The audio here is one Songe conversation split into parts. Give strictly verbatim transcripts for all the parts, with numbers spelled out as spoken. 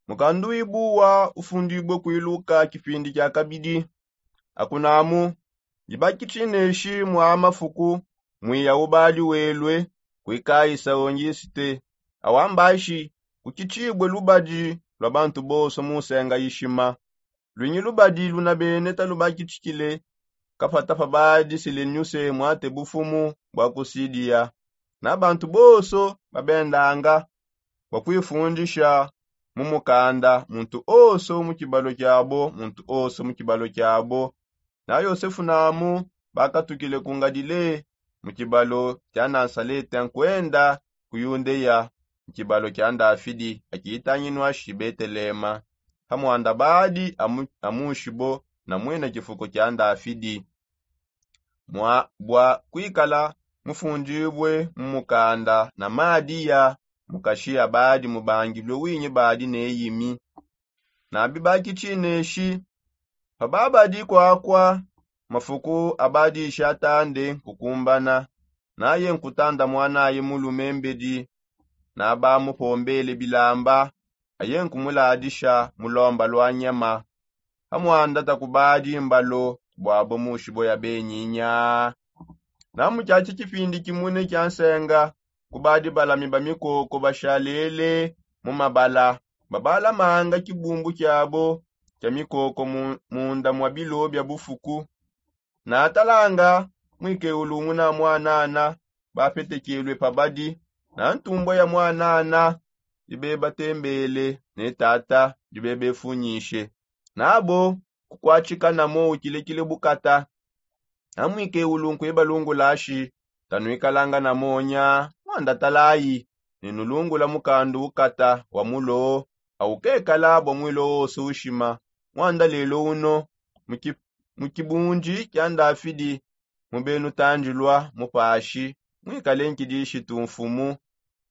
Mukandu wibuwa ufundibue kuiluka kipindi kia kabidi. Akunamu, dibaki tshineshi mwa mafuku, mwiya ubadi welue kuikayisa ongisite. Awambashi kukitshibue lubadi lwa bantu bonso mu nsenga ishima. Luinyi lubadi luna bene talubakitshikile kapata pabadi sileniuse mwate bufumu bwa kusidiya. Na bantu bonso babendanga bua kuifundisha mu mukanda, muntu onso mu kibalo kiabo, muntu onso mu kibalo kiabo. Na yosefu namu bakatukile ku ngalile, mu kibalo kia nasalete nkuenda ku yundeya, mu kibalo kia ndafidi akitanginua shi betelema, pa muanda badi amushibo na muena kifuko kia ndafidi. Bua kuikala mufundibue mu mukanda na madiya, mukashi abadi mubangilue winyi badi ne yimi. Na bibaki tshineshi, pababadi kuakua mafuku abadishi atande nkukumbana, naye nkutanda muanaye mulume mbedi. Na bamupombele bilamba, aye nkumuladisha mu lomba lua nyama. Pamuanda takubadi mbalo buabo mushibo ya benyinya. Na mu kiatshi kipindi kimune kia nsenga, kubadi balami ba mikoko bashalele mu mabala, babalamanga kibumbu kiabo kia mikoko munda mua bilo bia bufuku. Na talanga, muikeulu nguna muanana bapetekelue pabadi, na ntumbua ya muanana dibebatembele ne tata dibebefunyishe. Nabo kukuatshika namo ukilekile bukata. Na muikeulu nkuibalungulashi, tanuikalanga na monya, muanda talayi, ne nulungula mukandu ukata wa mulo, aukekala bua muilo wonso ushima. Muanda lelo uno, mu kibundi kia ndafidi, mubenutandilua mupashi, muikale nkidishi tumfumu.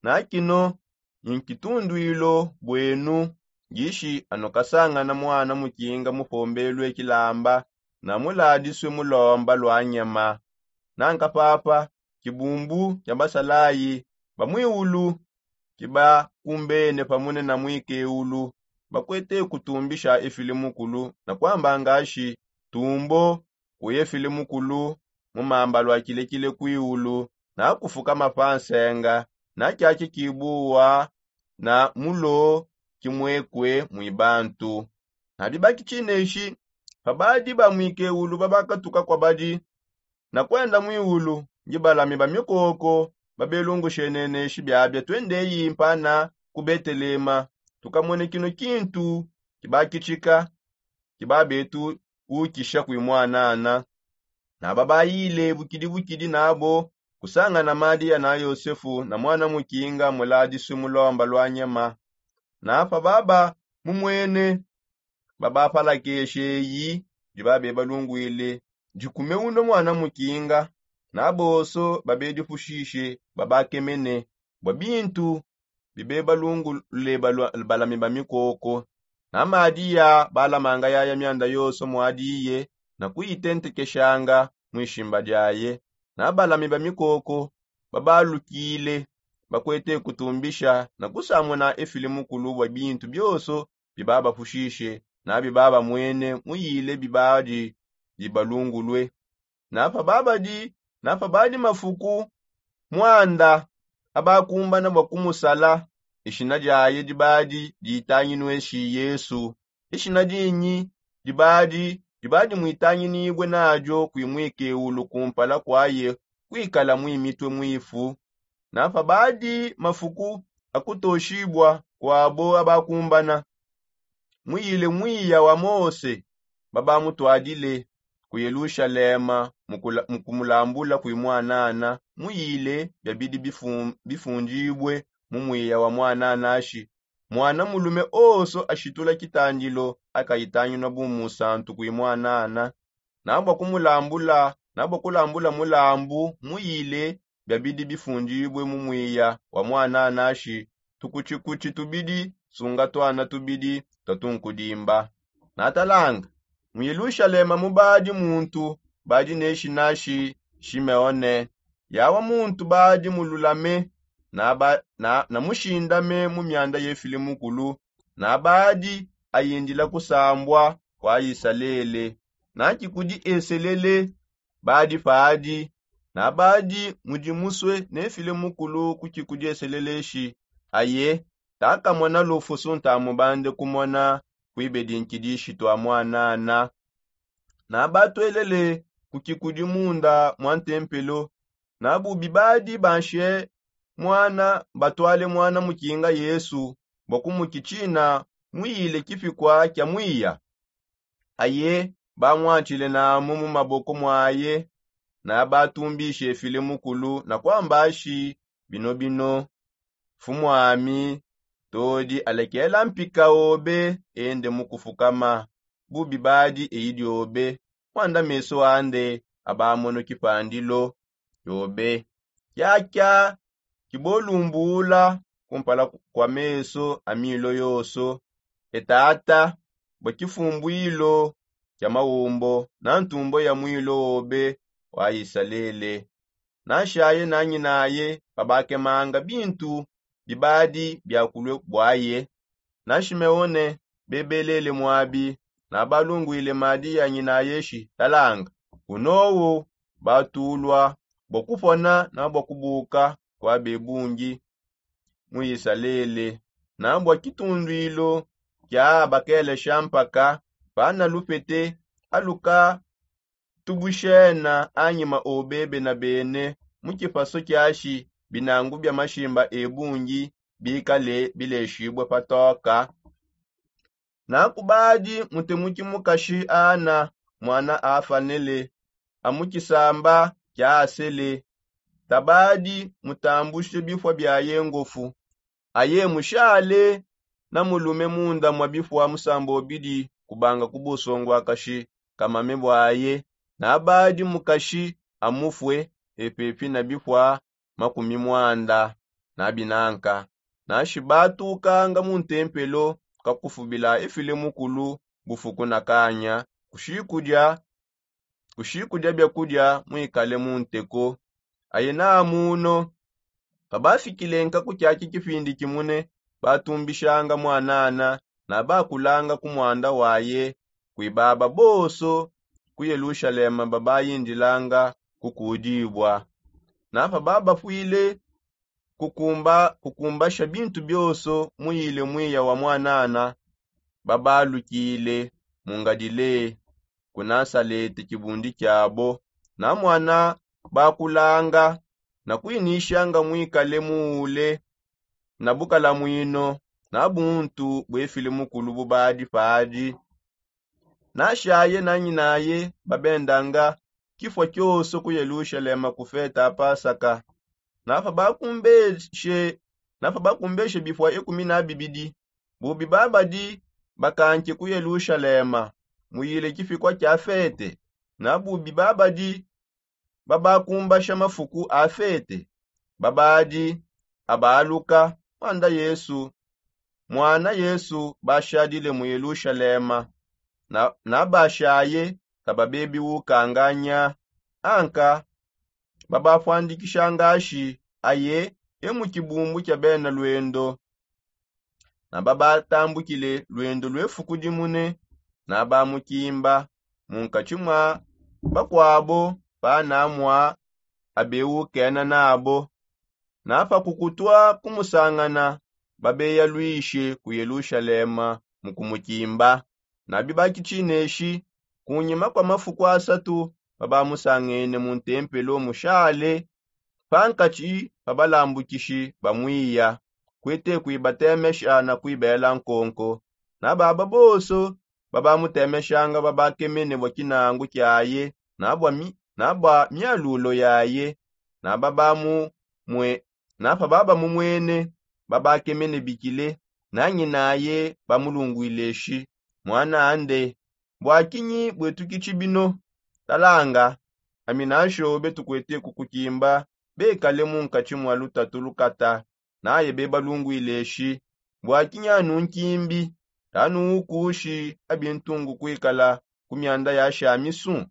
Na kino nkitunduilo buenu, ngishi anukasangana muana mukinga mupombelue kilamba, na muladisue mu lomba lua nyama. Nanka papa, kibumbu kia basalayi ba muiulu kibakumbene pamune na muikeulu, bakuete kutumbisha efile mukulu na kuamba ngashi, tumbo kuefile mukulu mu mamba lua kilekile kuiulu, na kufukama pa nsenga, na kiaki kibuwa, na mulo kimuekue mui bantu. Na bibaki tshineshi, pabadi ba muikeulu babakatuka kuabadi na kuenda muiulu, ndi balami ba mikoko babelungusheneneshi biabia, tuendeyi mpana ku Betelema, tukamone kino kintu kibakitshika, kibabetu ukisha kui muanana. Na babayile bukidi bukidi nabo kusangana Madiya na Yosefu na muana mukinga muladisue mu lomba lua nyama. Na pababa mumuene, babapalakeshe eyi dibabe balungwile, dikume uno muana mukinga. Na bonso babedipushishe babakemene bua bintu bibebalungule balami ba mikoko. Na Madiya balamanga yaya mianda yonso muadiye na kuyitentekeshanga muishimba diaye. Na balami ba mikoko babalukile, bakuete kutumbisha na kusamuna efile mukulu bua bintu bionso bibabapushishe na bibabamuene muyile bibadi bibalungulue. Na pababadi na pabadi mafuku, muanda abakumbana bua kumusala, ishina diaye dibadi ditanginueshi Yesu. Ishina dinyi dibadi dibadi muitanginibue nadio kui muikeulu kumpala kuaye kuikala mui mitue muifu. Na pabadi mafuku akutoshibua kuabo abakumbana, muyile muiya wa Mose, babamutuadile ku Yelushalema mu kumulambula kui muanana, muyile biabidi bifundibue mu muiya wa muananashi. Muana mulume onso ashitula kitandilo akayitanginua bu musantu kui muanana. Na bua kumulambula na bua kulambula mulambu muyile biabidi bifundibue mu muiya wa muananashi, tukutshikutshi tubidi sunga tuana tubidi tua tunkudimba. Na talanga, mu Yelushalema mubadi muntu badi ne shinashi Shimeone. Yawa muntu badi mululame na mushindame mu mianda yefile mukulu, na badi ayindila kusambua kua isalele. Na kikudi eselele badi padi, na badi mudimusue nefile mukulu ku kikudi eselele shi aye takamona lufusu ntamubande kumona kuibedi nkidi shitua muanana. Na batuelele ku kikudi munda mua ntempelo, na bubi badi banshe muana batuale muana mukinga yesu bua kumukitshina muyile kipikua kia muiya. Aye bamuantshile namu mu maboko muaye, na batumbishe file mukulu na kuambashi bino bino, fumu ami todi alekela mpika obe ende mu kufukama. Bubi badi eyi diobe muanda meso ande abamono kipandilo. Yobe kiakia kibolumbula kumpala kua meso a milo yoso. E tata, bua kifumbuilo kia maumbo na ntumbo ya muilo obe wa isalele. Nashaye nanyinaye babakemanga bintu bibadi biakulue buaye. Na shimeone bebelele muabi, na balunguile madi ya nyinaye shi talanga, kunowu batulua bua kupona na bua kubuka kua bebungi mu isalele. Na bua kitunduilu kia bakelesha mpaka pana lupete aluka tubushena anyima obe bena bene mu kipaso kiashi binangu bia mashimba ebungi bikale bileshibue patoka. Na kubadi mutemuki mukashi ana muana afanele amukisamba kia asele. Tabadi mutambushe bifua biaye ngofu. Aye mushale na mulume munda mua bifua musamba obidi kubanga ku busonguakashi kamame buaye. Na badi mukashi amufue epepi na bifua makumi muanda. Na binanka na shibatukanga mu ntempelo kakufubila efile mukulu bufuku na kanya kushikudia kushikudia biakudia muikale mu nteko. Aye na muno pabafikile nkaku kiaki kipindi kimune batumbishanga muanana na bakulanga ku muanda waye. Kuibaba bonso ku yelushalema babayindilanga kukudibua. Na pababafuile kukumbasha bintu bionso muyile muiya wa muanana babalukile mu ngadile ku nasalete kibundi kiabo. Na muana bakulanga na kuinishanga muikale muule na bukalamuino na buntu buefile mukulu bubadi padi. Nashaye na nyinaye babendanga kifua kioso ku yelushalema ku feta a pasaka. Na pabakumbeshe na pabakumbeshe bifua ekumi na bibidi bubi babadi bakanke ku yelushalema muyile kipikua kia fete. Na bubi babadi babakumbasha mafuku a fete babadi abaaluka muanda yesu muana yesu bashadile mu yelushalema. Na bashaye kababebi ukanganya anka babapuandikshangashi aye e mu kibumbu kia bena luendo. Na babatambukile luendo lue fuku dimune na bamukimba mu nkatshi mua bakuabo pana mua abeukena nabo. Na pakukutua kumusangana babeyaluishe ku yelushalema mu kumukimba. Na bibakitshineshi kunyima kua mafuku asatu babamusangene mu ntempelo mushale pankatshi pa balambukishi ba muiya kuete kuibatemesha na kuibela nkonko. Na baba bonso babamutemeshanga babakemene bua kinangu kiaye na bua mialulo yaye. Na babamumue na pababamumuene babakemene bikile na nyinaye bamulunguileshi muana ande. Bua kinyi buetukitshi bino? Talanga ami nanshobe tukuete kukukimba bekale mu nkatshi mua lutatu lukata. Naye bebalunguileshi bua kinyi anu nkimbi? Anu ukushi abintungu kuikala ku mianda ya shamisu.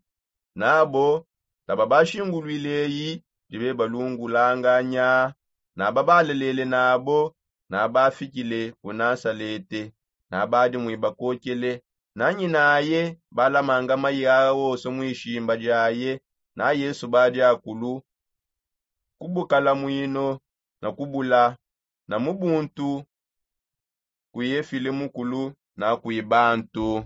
Nabo tababashinguluileyi dibebalungulanganya. Nababalalele nabo nabafikile ku nasalete. na badi muibakokele. Na nyinaye balamanga mayi aa onso muishimba diaye. Na yesu badi akulu kubukala mwino na kubula na mubuntu. Kuye file mukulu na kuye bantu.